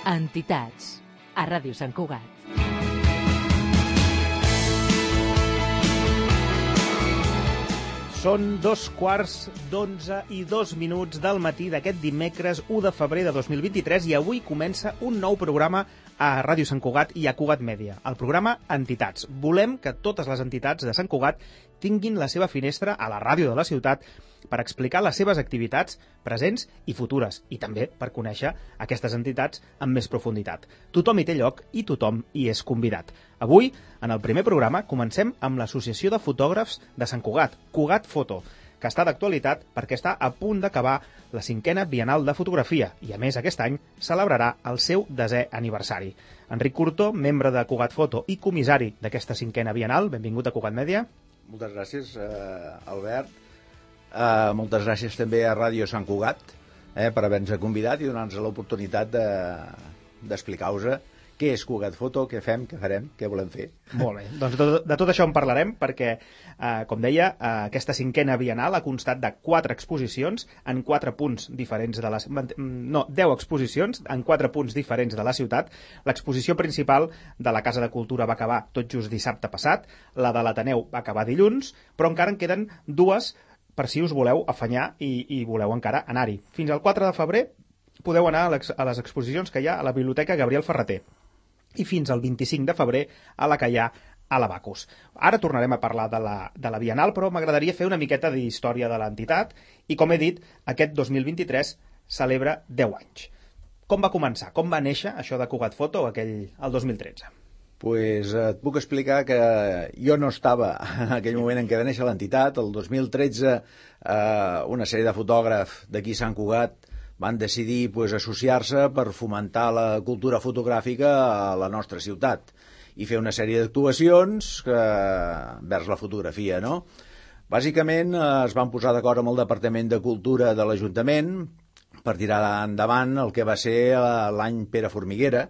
Entitats, a Ràdio Sant Cugat. Són 2:11:02 del matí d'aquest dimecres 1 de febrer de 2023 i avui comença un nou programa a Ràdio Sant Cugat i a Cugat Mèdia, el programa Entitats. Volem que totes les entitats de Sant Cugat tinguin la seva finestra a la ràdio de la ciutat per explicar les seves activitats presents i futures i també per conèixer aquestes entitats amb més profunditat. Tothom hi té lloc i tothom hi és convidat. Avui, en el primer programa, comencem amb l'Associació de Fotògrafs de Sant Cugat, Cugat Foto, que està d'actualitat perquè està a punt d'acabar la 5a Bienal de Fotografia i, a més, aquest any celebrarà el seu 10è aniversari. Enric Curto, membre de Cugat Foto i comissari d'aquesta 5a Bienal, benvingut a Cugat Mèdia. Moltes gràcies, Albert. Moltes gràcies també a Ràdio Sant Cugat per haver-nos convidat i donar-nos l'oportunitat d'explicar-vos què és Cugat Foto, què fem, què farem, què volem fer. Molt bé, doncs de tot això en parlarem perquè, com deia, aquesta 5a Bienal ha constat de 4 exposicions en 4 punts diferents de 10 exposicions en 4 punts diferents de la ciutat. L'exposició principal de la Casa de Cultura va acabar tot just dissabte passat, la de l'Ateneu va acabar dilluns, però encara en queden 2 per si us voleu afanyar i voleu encara anar-hi. Fins al 4 de febrer podeu anar a les exposicions que hi ha a la Biblioteca Gabriel Ferrater i fins al 25 de febrer a la que hi ha a la Bacus. Ara tornarem a parlar de la Bienal, però m'agradaria fer una miqueta d'història de l'entitat i, com he dit, aquest 2023 celebra 10 anys. Com va començar? Com va néixer això de Cugat Foto el 2013? Pues et puc explicar que jo no estava en aquell moment en què va néixer l'entitat. El 2013 una sèrie de fotògrafs d'aquí Sant Cugat van decidir associar-se per fomentar la cultura fotogràfica a la nostra ciutat i fer una sèrie d'actuacions vers la fotografia, no? Bàsicament es van posar d'acord amb el Departament de Cultura de l'Ajuntament per tirar endavant el que va ser l'any Pere Formiguera,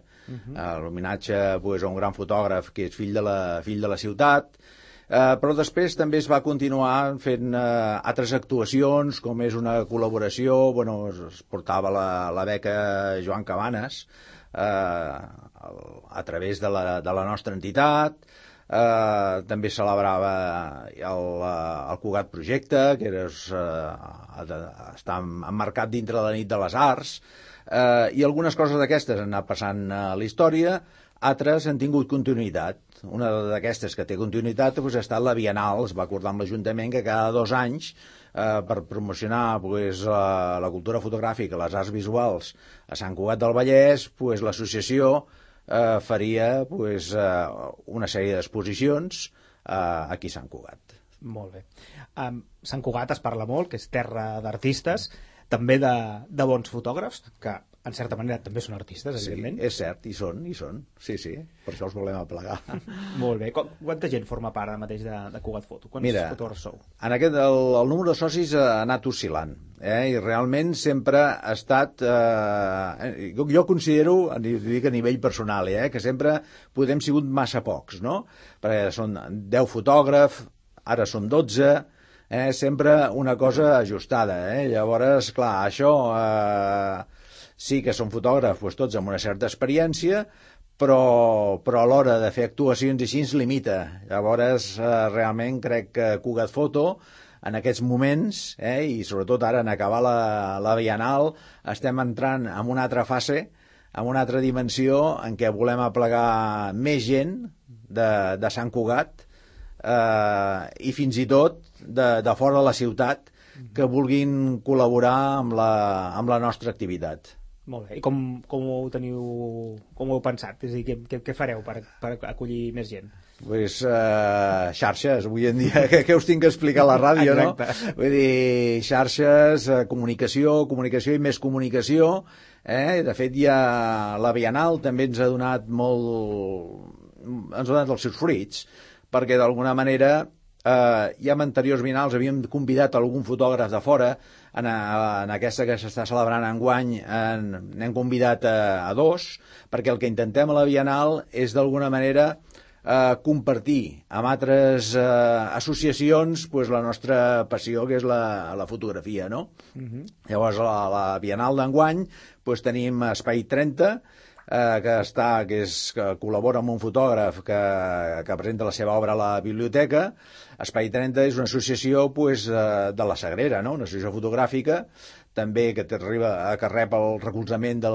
l'homenatge a un gran fotògraf que és fill de la ciutat, però després també es va continuar fent altres actuacions, com és una col·laboració, es portava la beca Joan Cabanes a través de la nostra entitat, també celebrava el Cugat Projecte, que està emmarcat dintre de la nit de les arts, i algunes coses d'aquestes han anat passant a la història, altres han tingut continuïtat. Una d'aquestes que té continuïtat ha estat la Bienal. Es va acordar amb l'Ajuntament que cada 2 anys, per promocionar la cultura fotogràfica, les arts visuals a Sant Cugat del Vallès, l'associació faria una sèrie d'exposicions aquí a Sant Cugat. Molt bé. Sant Cugat es parla molt, que és terra d'artistes, també de bons fotògrafs, que en certa manera també són artistes, evidentment. Sí, és cert, hi són. Sí, per això els volem aplegar. Molt bé. Quanta gent forma part ara mateix de Cugat Foto? Quants fotògrafs sou? El número de socis ha anat oscil·lant, i realment sempre ha estat... jo considero, dic a nivell personal, que sempre hem sigut massa pocs, no? Perquè són 10 fotògrafs, ara són 12... sempre una cosa ajustada, Llavors, clar, això sí que són fotògrafs tots amb una certa experiència, però a l'hora de fer actuacions així ens limita. Llavors, realment crec que Cugat Foto en aquests moments, i sobretot ara en acabar la Bienal, estem entrant en una altra fase, en una altra dimensió en què volem aplegar més gent de Sant Cugat, i fins i tot de fora de la ciutat que vulguin col·laborar amb la nostra activitat. Molt bé. I com ho heu pensat? És a dir, què fareu per acollir més gent? Xarxes, avui en dia, que us tinc que explicar a la ràdio, no? Vull dir, xarxes, comunicació i més comunicació. De fet, ja la Bienal també ens ha donat els seus fruits, perquè d'alguna manera ja en anteriors Bienals havíem convidat algun fotògraf de fora. En aquesta que s'està celebrant enguany n'hem convidat a 2, perquè el que intentem a la Bienal és d'alguna manera compartir amb altres associacions la nostra passió, que és la fotografia, no? Llavors, a la Bienal d'enguany tenim Espai 30, que col·labora amb un fotògraf que presenta la seva obra a la biblioteca. Espai 30 és una associació de la Sagrera, no? Una associació fotogràfica també que rep el recolzament de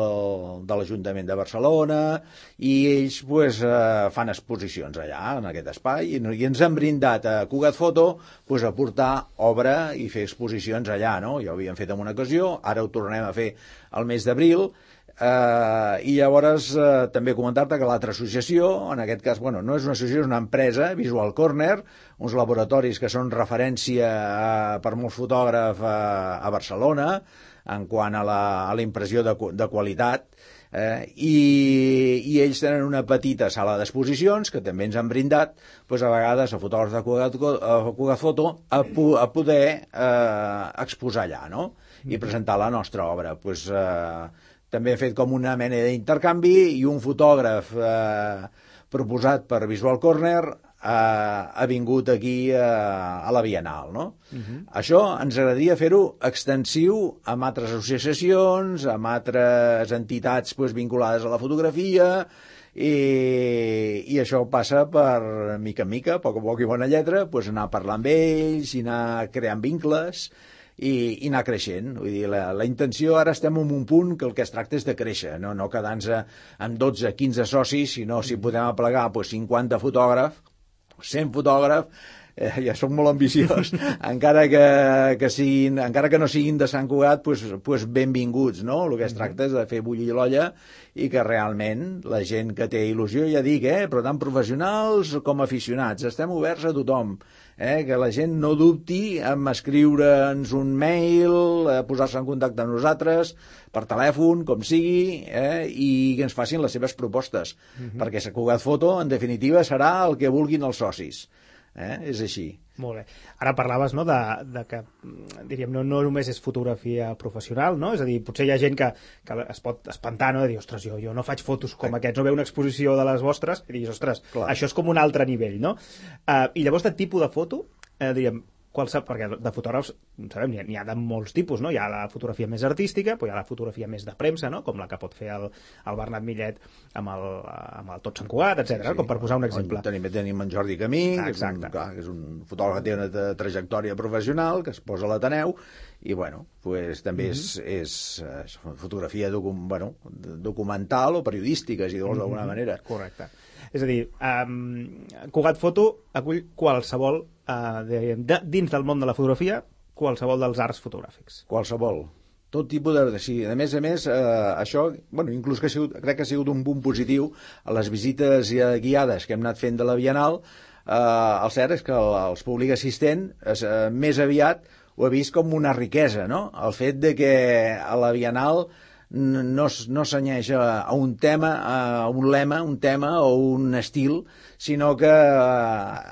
l'Ajuntament de Barcelona, i ells fan exposicions allà, en aquest espai, i ens han brindat a Cugat Foto a portar obra i fer exposicions allà, no? Ja ho havíem fet en una ocasió, ara ho tornarem a fer al mes d'abril. I llavors també comentar-te que l'altra associació, en aquest cas, no és una associació, és una empresa, Visual Corner, uns laboratoris que són referència per molts fotògrafs a Barcelona en quant a la impressió de qualitat, i ells tenen una petita sala d'exposicions que també ens han brindat a vegades a fotògrafs de Cugat Foto a poder exposar allà, no? I presentar la nostra obra. També he fet com una mena d'intercanvi, i un fotògraf proposat per Visual Corner ha vingut aquí a la Bienal, no? Això ens agradaria fer-ho extensiu amb altres associacions, amb altres entitats vinculades a la fotografia, i això passa per mica en mica, a poc i bona lletra, anar parlant amb ells i anar creant vincles i anar creixent. Vull dir, la intenció, ara estem en un punt que el que es tracta és de créixer, no quedar-nos amb 12-15 socis, sinó si podem aplegar 50 fotògrafs, 100 fotògrafs, ja soc molt ambiciós, encara que no siguin de Sant Cugat, benvinguts, no? El que es tracta és de fer bullir l'olla i que realment la gent que té il·lusió, ja dic, però tant professionals com aficionats, estem oberts a tothom, que la gent no dubti en escriure'ns un mail, posar-se en contacte amb nosaltres, per telèfon, com sigui, i que ens facin les seves propostes, perquè Cugat Foto, en definitiva, serà el que vulguin els socis. És així. Molt bé. Ara parlaves, no, de que, diríem, no només és fotografia professional, no? És a dir, potser hi ha gent que es pot espantar, no? De dir, ostres, jo no faig fotos com aquests, no veu una exposició de les vostres, i dius, ostres, clar, això és com un altre nivell, no? I llavors, de tipus de foto, diríem, perquè de fotògrafs, sabem, n'hi ha de molts tipus, no? Hi ha la fotografia més artística, però hi ha la fotografia més de premsa, no? Com la que pot fer el Bernat Millet amb el Tot Sant Cugat, etc., com per posar un exemple. Tenim en Jordi Camí, que és un fotògraf que té una trajectòria professional, que es posa a l'Ateneu, i també és fotografia documental o periodística, si vols, d'alguna manera. Correcte. És a dir, Cugat Foto acull qualsevol, dins del món de la fotografia, qualsevol dels arts fotogràfics. Qualsevol. Tot tipus de... Sí, a més, això, inclús crec que ha sigut un punt positiu a les visites guiades que hem anat fent de la Bienal. El cert és que els públic assistent més aviat ho ha vist com una riquesa, no? El fet de que a la Bienal no s'anyeix a un tema, a un lema, un tema o un estil, sinó que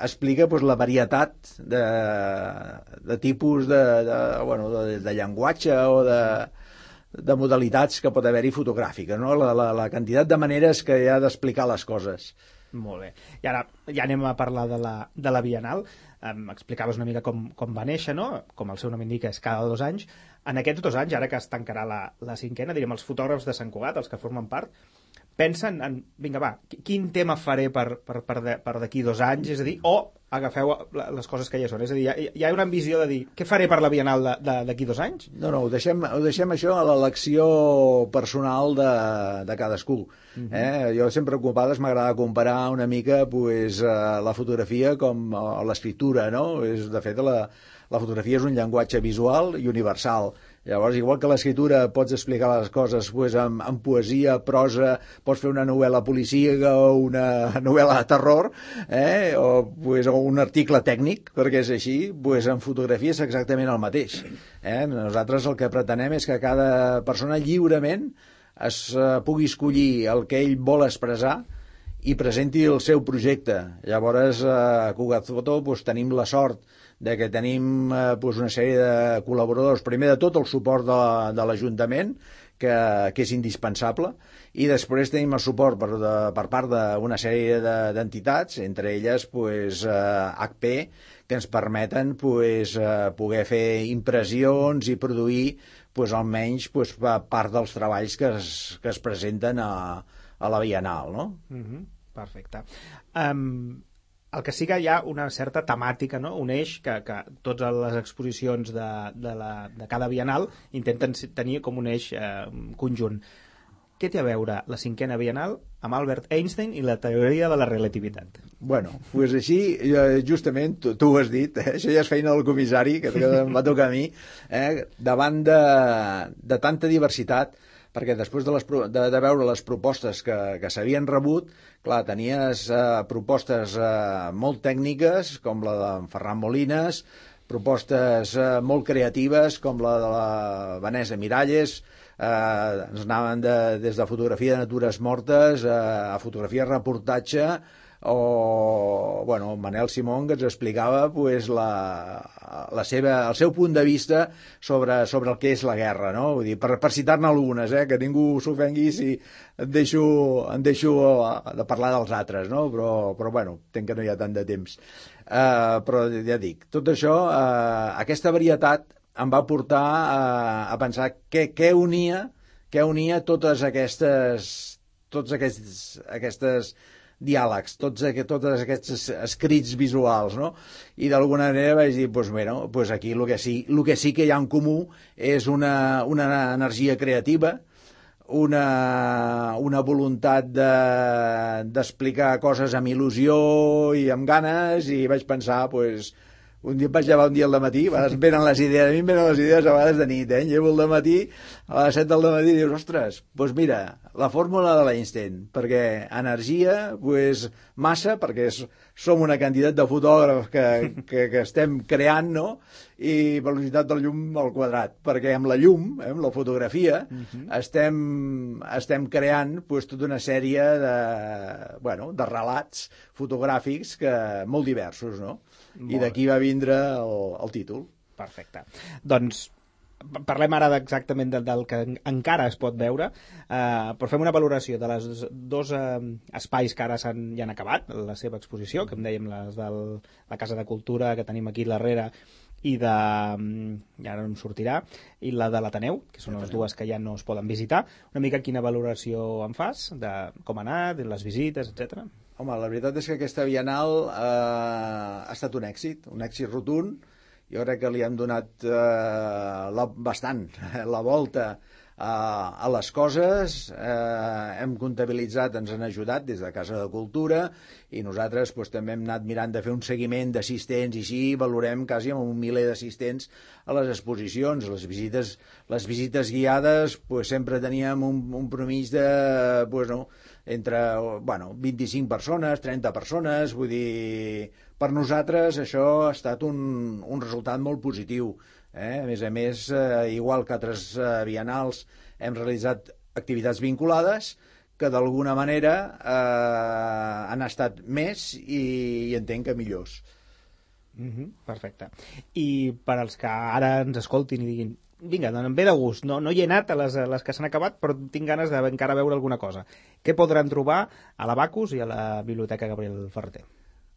explica la varietat de tipus de llenguatge o de modalitats que pot haver-hi fotogràfiques, no? La quantitat de maneres que hi ha d'explicar les coses. Molt bé. I ara ja anem a parlar de la Bienal. Explicaves una mica com va néixer, no? Com el seu nom indica, és cada 2 anys. En aquests 2 anys, ara que es tancarà la 5ª, diríem, els fotògrafs de Sant Cugat, els que formen part, pensen en, vinga, va, quin tema faré per d'aquí 2 anys? És a dir, o agafeu les coses que ja són. És a dir, hi ha una ambició de dir, què faré per la Bienal d'aquí 2 anys? No, ho deixem això a l'elecció personal de cadascú. Jo sempre, ocupades, m'agrada comparar una mica la fotografia com l'escriptura, no? De fet, la fotografia és un llenguatge visual i universal. Llavors, igual que l'escriptura pots explicar les coses amb poesia, prosa, pots fer una novel·la policíaca o una novel·la de terror, o un article tècnic, perquè és així, en fotografia és exactament el mateix. Nosaltres el que pretenem és que cada persona lliurement es pugui escollir el que ell vol expressar i presenti el seu projecte. Llavors, a Cugat Foto tenim la sort de que tenim una sèrie de col·laboradors, primer de tot el suport de l'Ajuntament, que és indispensable, i després tenim el suport per part d'una sèrie d'entitats, entre elles HP, que ens permeten poder fer impressions i produir almenys part dels treballs que es presenten a la Bienal, no? Perfecte. El que sí que hi ha una certa temàtica, no? Un eix que totes les exposicions de cada Bienal intenten tenir com un eix conjunt. Què té a veure la 5a Bienal amb Albert Einstein i la teoria de la relativitat? Bueno, doncs així, justament, tu ho has dit, això ja és feina del comissari, que em va tocar a mi, davant de tanta diversitat, perquè després de veure les propostes que s'havien rebut, clar, tenies propostes molt tècniques, com la d'en Ferran Molines, propostes molt creatives, com la de la Vanessa Miralles, ens anaven des de fotografia de natures mortes a fotografia reportatge, o bueno, Manel Simón, que ens explicava pues, el seu punt de vista sobre el que és la guerra, no? Vull dir, per citar-ne algunes, que ningú s'ofengui si em deixo de parlar dels altres, no? Però bueno, entenc que no hi ha tant de temps. Però ja dic, tot això, aquesta varietat em va portar a pensar què unia totes aquests diàlegs, tots aquests escrits visuals, no? I d'alguna manera vaig dir, doncs aquí el que sí que hi ha en comú és una energia creativa, una voluntat d'explicar coses amb il·lusió i amb ganes, i vaig pensar, un dia em vaig llevar un dia al dematí, a mi em venen les idees a vegades de nit, llevo al dematí, a les 7 del dematí, i dius, ostres, doncs mira, la fórmula de l'Einstein, perquè energia, massa, perquè som una quantitat de fotògrafs que estem creant, no?, i velocitat del llum al quadrat, perquè amb la llum, amb la fotografia, estem creant tota una sèrie de relats fotogràfics molt diversos, no? I d'aquí va vindre el títol. Perfecte. Doncs parlem ara exactament del que encara es pot veure, però fem una valoració de les dos espais que ara ja han acabat la seva exposició, que em dèiem les de la Casa de Cultura que tenim aquí darrere i ara no em sortirà, i la de l'Ateneu, que són les dues que ja no es poden visitar. Una mica quina valoració en fas de com ha anat, de les visites, etc. Home, la veritat és que aquesta Bienal ha estat un èxit rotund. Jo crec que li hem donat bastant la volta a les coses, hem comptabilitzat, ens han ajudat des de Casa de Cultura, i nosaltres també hem anat mirant de fer un seguiment d'assistents, i així valorem quasi amb 1 miler d'assistents a les exposicions. Les visites guiades sempre teníem un promís de entre 25 persones, 30 persones, vull dir, per nosaltres això ha estat un resultat molt positiu. A més, igual que altres bienals, hem realitzat activitats vinculades que d'alguna manera han estat més i entenc que millors. Perfecte. I per als que ara ens escoltin i diguin, vinga, em ve de gust, no hi he anat a les que s'han acabat, però tinc ganes d'encara veure alguna cosa. Què podran trobar a l'Abacus i a la Biblioteca Gabriel Ferrater?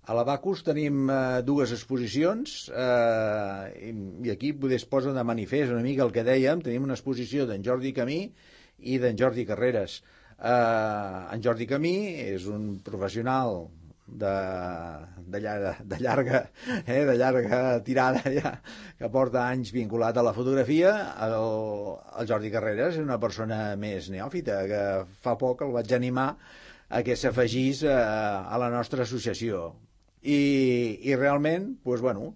A l'Abacus tenim dues exposicions, i aquí es posa de manifest una mica el que dèiem. Tenim una exposició d'en Jordi Camí i d'en Jordi Carreras. En Jordi Camí és un professional de llarga tirada ja, que porta anys vinculat a la fotografia. El Jordi Carreras és una persona més neòfita, que fa poc el vaig animar a que s'afegís a la nostra associació. I realment,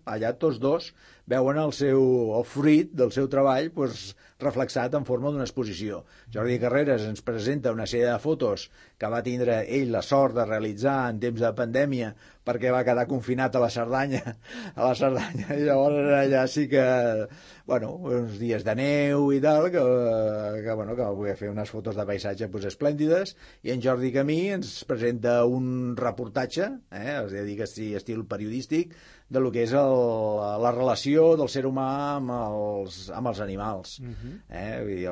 allà tots dos veuen el fruit del seu treball reflexat en forma d'una exposició. Jordi Carreras ens presenta una sèrie de fotos que va tindre ell la sort de realitzar en temps de pandèmia, perquè va quedar confinat a la Cerdanya, i llavors allà sí que, uns dies de neu i tal, que va poder fer unes fotos de paisatge esplèndides. I en Jordi Camí ens presenta un reportatge, és a dir, que estil periodístic, de lo que és la relació del ser humà amb els animals. Vull dir,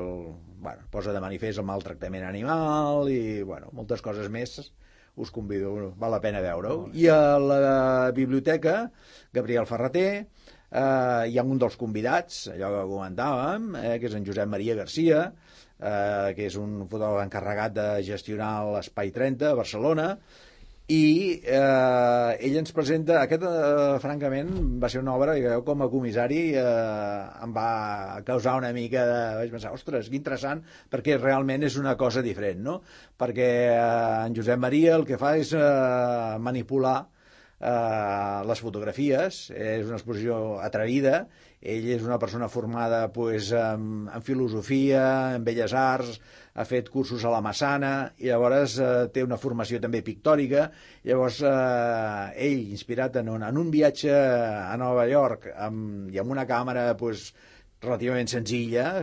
posa de manifest el maltractament animal i moltes coses més. Us convido, val la pena veure-ho. I a la Biblioteca Gabriel Ferrater hi ha un dels convidats, allò que comentàvem, que és en Josep Maria Garcia, que és un fotògraf encarregat de gestionar l'Espai 30 a Barcelona, i ell ens presenta aquest, francament va ser una obra que jo com a comissari em va causar una mica de... vaig pensar, ostres, que interessant, perquè realment és una cosa diferent, no? Perquè en Josep Maria el que fa és manipular les fotografies, és una exposició atrevida, ell és una persona formada pues, en filosofia, en belles arts, ha fet cursos a la Massana, i llavors té una formació també pictòrica, llavors ell, inspirat en un viatge a Nova York i amb una càmera pues, relativament senzilla,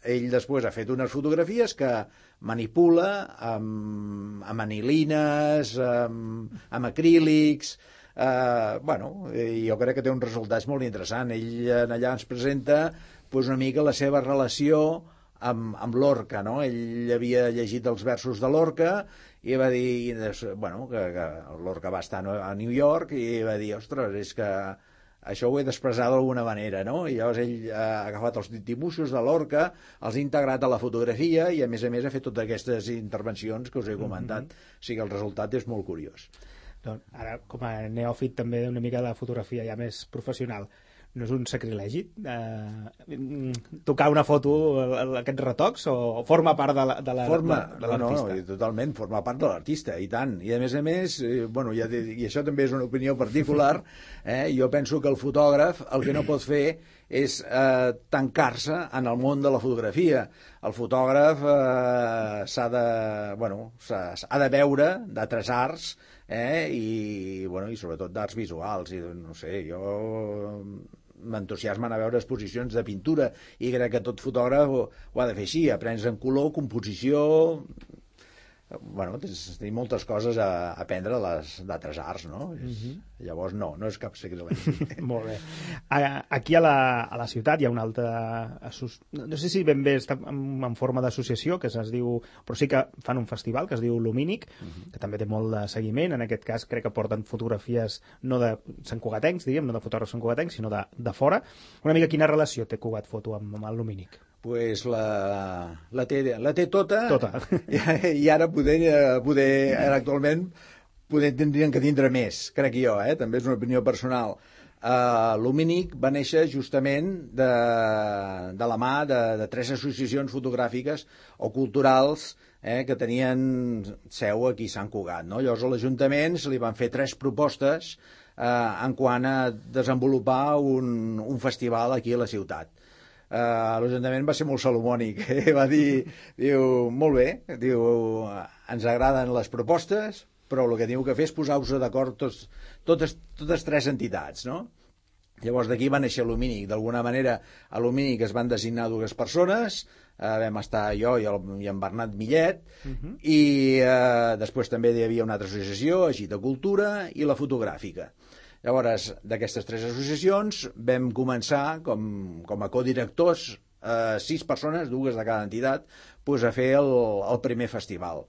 ell després ha fet unes fotografies que manipula amb anilines, amb acrílics, jo crec que té uns resultats molt interessants. Ell allà ens presenta pues, una mica la seva relació amb Lorca, no? Ell havia llegit els versos de Lorca i va dir que Lorca va estar a New York i va dir, ostres, és que això ho he d'expressar d'alguna manera, no? I llavors ell ha agafat els dibuixos de Lorca, els ha integrat a la fotografia i a més ha fet totes aquestes intervencions que us he comentat. O sigui, el resultat és molt curiós. Doncs ara, com a neòfit també una mica de la fotografia ja més professional, no és un sacrilegi tocar una foto, aquests retocs, o forma part de l'artista? No, totalment, forma part de l'artista, i tant. I a més, i això també és una opinió particular, jo penso que el fotògraf el que no pot fer és tancar-se en el món de la fotografia. El fotògraf s'ha de veure d'altres arts, i sobretot d'arts visuals, i no sé, jo m'entusiasmen a veure exposicions de pintura i crec que tot fotògraf ho ha de fer així, aprens en color, composició, tenim moltes coses a aprendre d'altres arts, no? Llavors no és cap sacrilegi. Molt bé. Aquí a la ciutat hi ha una altra, no sé si ben bé està en forma d'associació, que es diu, però sí que fan un festival que es diu Lumínic, que també té molt de seguiment. En aquest cas crec que porten fotografies no de santcugatencs, diríem, no de fotògrafs santcugatencs, sinó de fora. Una mica quina relació té Cugat Foto amb el Lumínic? Pues la té tota. I ara actualment tindrien que tindre més, crec jo, també és una opinió personal. Lumínic va néixer justament de la mà de 3 associacions fotogràfiques o culturals que tenien seu aquí a Sant Cugat, no? Llavors a l'Ajuntament se li van fer 3 propostes en quant a desenvolupar un festival aquí a la ciutat. L'Ajuntament va ser molt salomònic, va dir, molt bé, ens agraden les propostes, però el que teniu que fer és posar-vos d'acord totes 3 entitats, no? Llavors d'aquí va néixer Lumínic. D'alguna manera a Lumínic es van designar 2 persones, vam estar jo i en Bernat Millet, i després també hi havia una altra associació, Agita Cultura, i la fotogràfica. Llavors, d'aquestes 3 associacions vam començar com a codirectors, 6 persones, 2 de cada entitat, a fer el primer festival.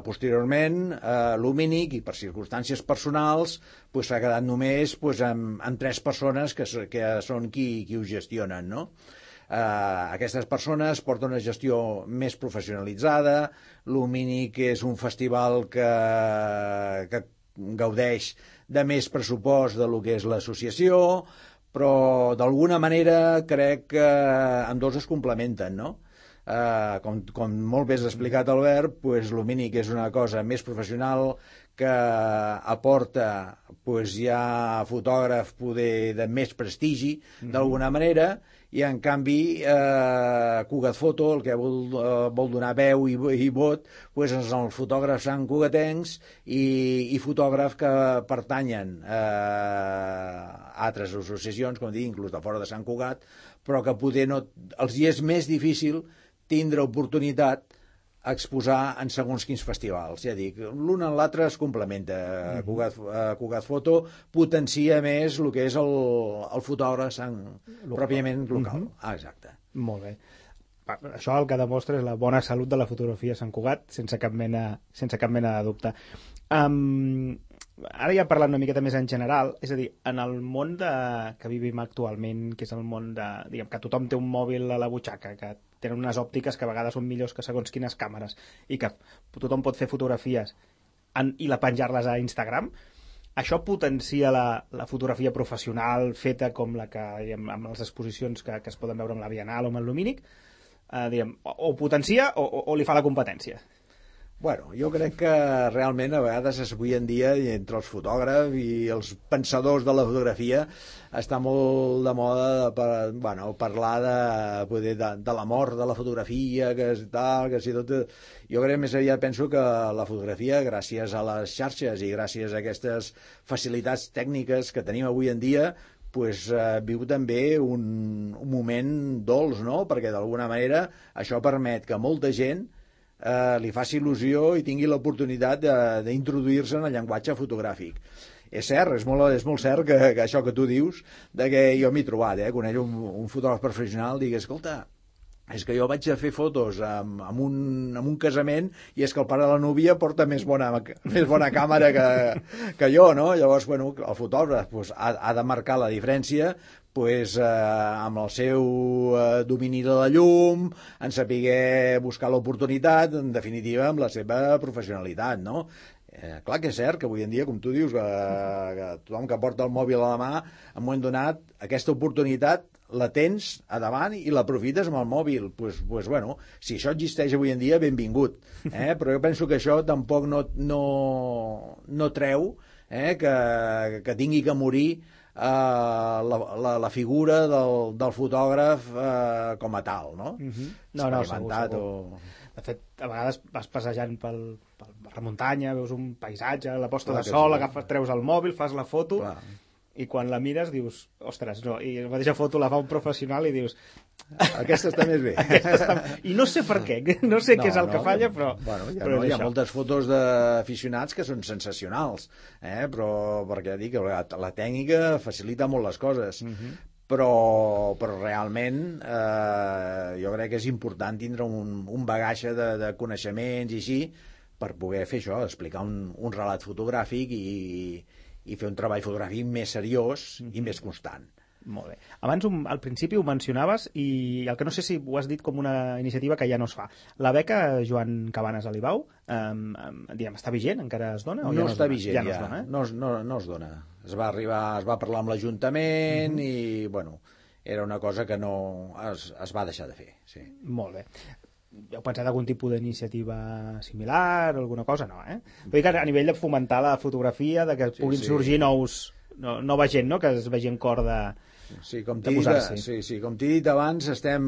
Posteriorment, Lumínic, i per circumstàncies personals, s'ha quedat només amb 3 persones que són qui ho gestionen, no? Aquestes persones porten una gestió més professionalitzada. Lumínic és un festival que gaudeix de més pressupost de lo que és l'associació, però d'alguna manera crec que ambdós es complementen, no? Com molt bé has explicat, Albert, Lumínic és una cosa més professional que aporta ja fotògraf de més prestigi d'alguna manera, i en canvi Cugat Foto el que vol donar veu i vot és els fotògrafs santcugatencs i fotògrafs que pertanyen a altres associacions, com dic, inclús de fora de Sant Cugat, però que poder els hi és més difícil tindre oportunitat a exposar en segons quins festivals. Ja dic, l'un en l'altre es complementa. Cugat Foto potencia més el que és el fotògraf pròpiament local. Exacte. Molt bé. Això el que demostra és la bona salut de la fotografia a Sant Cugat, sense cap mena de dubte. ara ja parlant una miqueta més en general, és a dir, en el món que vivim actualment, que és el món diguem, que tothom té un mòbil a la butxaca, que tenen unes òptiques que a vegades són millors que segons quines càmeres, i que tothom pot fer fotografies i penjar-les a Instagram, això potencia la fotografia professional feta com la que, diguem, amb les exposicions que es poden veure amb la Bienal o amb el Lumínic, diguem, o potencia o li fa la competència? Bueno, jo crec que realment a vegades avui en dia entre els fotògrafs i els pensadors de la fotografia està molt de moda parlar de la mort de la fotografia, que és tal, que si tot... Jo crec més aviat penso que la fotografia, gràcies a les xarxes i gràcies a aquestes facilitats tècniques que tenim avui en dia, viu també un moment dolç, no? Perquè d'alguna manera això permet que molta gent li faci il·lusió i tingui l'oportunitat d'introduir-se en el llenguatge fotogràfic. És cert, és molt cert que això que tu dius, que jo m'he trobat, conèixer un fotògraf professional, digui, escolta, és que jo vaig a fer fotos amb un casament i és que el pare de la núvia porta més bona càmera que jo, no? Llavors, bueno, el fotògraf ha de marcar la diferència amb el seu domini de la llum, en saber buscar l'oportunitat, en definitiva, amb la seva professionalitat, no? Clar que és cert que avui en dia, com tu dius, que tothom que porta el mòbil a la mà, en un moment donat, aquesta oportunitat la tens a davant i l'aprofites amb el mòbil. Bueno, si això existeix avui en dia, benvingut. Però jo penso que això tampoc no treu que tingui que morir la figura del fotògraf com a tal, no? No, segur. De fet, a vegades vas passejant per la muntanya, veus un paisatge, la posta de sol, treus el mòbil, fas la foto, i quan la mires dius, ostres, no, i la mateixa foto la fa un professional i dius... Aquesta està més bé. I no sé per què, no sé què és el que falla, però... Bueno, hi ha moltes fotos d'aficionats que són sensacionals, però perquè dic que la tècnica facilita molt les coses. Però realment jo crec que és important tindre un bagatge de coneixements i així per poder fer això, explicar un relat fotogràfic i fer un treball fotogràfic més seriós i més constant. Molt bé. Abans, al principi, ho mencionaves i el que no sé si ho has dit com una iniciativa que ja no es fa. La beca Joan Cabanes Alibau, està vigent? Encara es dona? No està vigent, ja. No es dona, no es dona. Es va parlar amb l'Ajuntament i, bueno, era una cosa que no es va deixar de fer. Sí. Molt bé. Heu pensat algun tipus d'iniciativa similar o alguna cosa? No, Vull dir que a nivell de fomentar la fotografia, de que puguin sorgir nova gent, no? Que es vegi en cor de com t'he dit abans, estem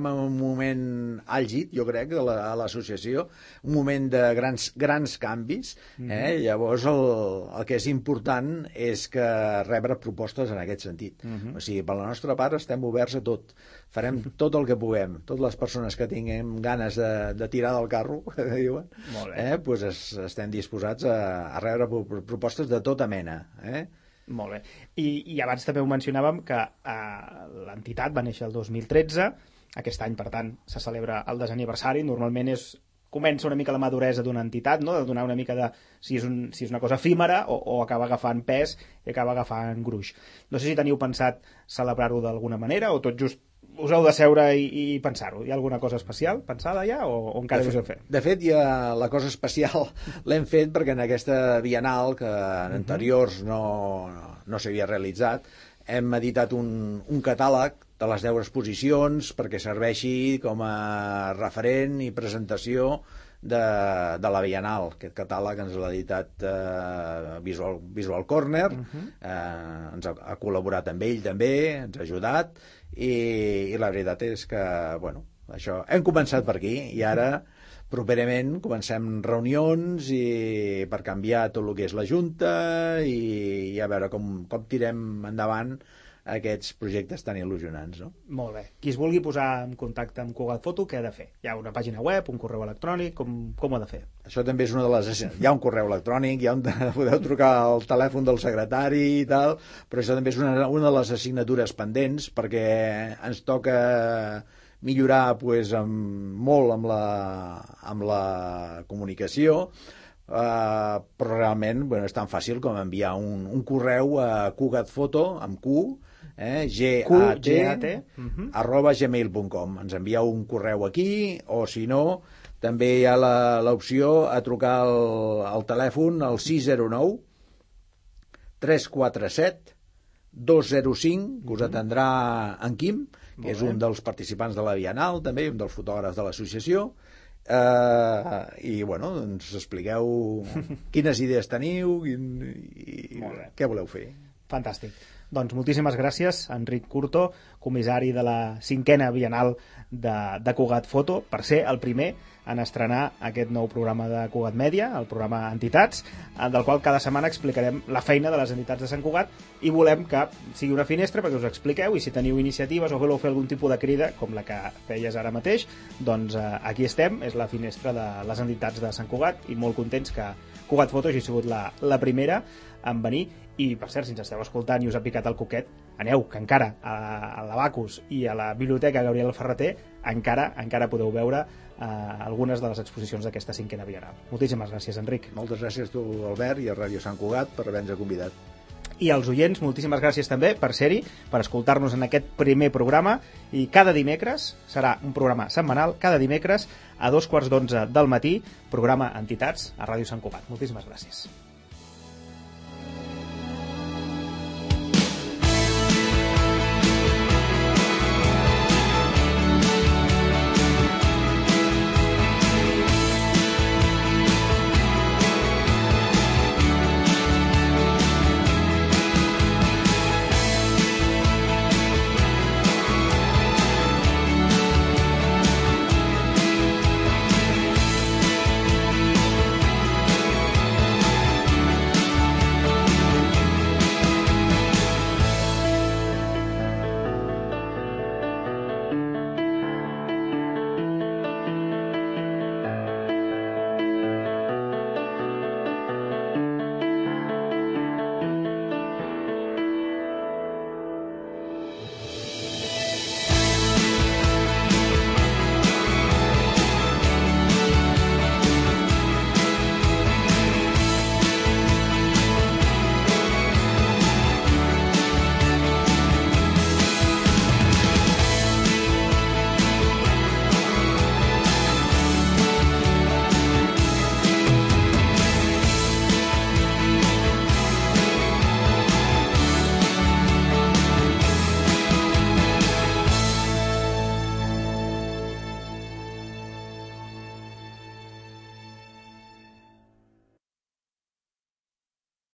en un moment àlgid, jo crec, a l'associació, un moment de grans canvis. Llavors el que és important és que rebre propostes en aquest sentit. O sigui, per la nostra part estem oberts a tot. Farem tot el que puguem. Totes les persones que tinguem ganes de tirar del carro, que diuen, estem disposats a rebre propostes de tota mena. Molt bé. I abans també ho mencionàvem que l'entitat va néixer el 2013, aquest any, per tant, se celebra el desaniversari, normalment comença una mica la maduresa d'una entitat, no? De donar una mica de si és una cosa efímera o acaba agafant pes i acaba agafant gruix. No sé si teniu pensat celebrar-ho d'alguna manera o tot just us heu de seure i pensar-ho. Hi ha alguna cosa especial pensada ja o encara us heu fet? De fet, la cosa especial l'hem fet perquè en aquesta Bienal, que en anteriors no s'havia realitzat, hem editat un catàleg de les 10 exposicions perquè serveixi com a referent i presentació de la Bienal. Aquest catàleg ens l'ha editat Visual Corner, ens ha col·laborat amb ell també, ens ha ajudat, i la veritat és que, bueno, això, hem començat per aquí i ara properament comencem reunions per canviar tot el que és la Junta i a veure com tirem endavant aquests projectes tan il·lusionants, no? Molt bé. Qui es vulgui posar en contacte amb Cugat Foto, què ha de fer? Hi ha una pàgina web, un correu electrònic, com ho ha de fer? Això també és una de les... Hi ha un correu electrònic, podeu trucar al telèfon del secretari i tal, però això també és una de les assignatures pendents perquè ens toca millorar molt amb la comunicació, però realment és tan fàcil com enviar un correu a cugatfoto, amb Q, GAT, @gmail.com. Ens envieu un correu aquí, o si no, també hi ha l'opció a trucar al telèfon al 609 347 205, que us atendrà en Quim, que és un dels participants de la Bienal, també, un dels fotògrafs de l'associació, i ens expliqueu quines idees teniu i què voleu fer. Fantàstic. Doncs moltíssimes gràcies, Enric Curto, comissari de la 5a Bienal de Cugat Foto, per ser el primer en estrenar aquest nou programa de Cugat Mèdia, el programa Entitats, del qual cada setmana explicarem la feina de les entitats de Sant Cugat i volem que sigui una finestra perquè us expliqueu, i si teniu iniciatives o voleu fer algun tipus de crida, com la que feies ara mateix, doncs aquí estem, és la finestra de les entitats de Sant Cugat, i molt contents que Cugat Foto hagi sigut la primera en venir. I, per cert, si ens esteu escoltant i us ha picat el coquet, aneu, que encara a l'Abacus i a la Biblioteca Gabriel Ferrater encara podeu veure algunes de les exposicions d'aquesta 5a Bienal. Moltíssimes gràcies, Enric. Moltes gràcies a tu, Albert, i a Ràdio Sant Cugat per haver-nos convidat. I als oients, moltíssimes gràcies també per ser-hi, per escoltar-nos en aquest primer programa, i cada dimecres, serà un programa setmanal, cada dimecres a 2:15 del matí, programa Entitats a Ràdio Sant Cugat. Moltíssimes gràcies.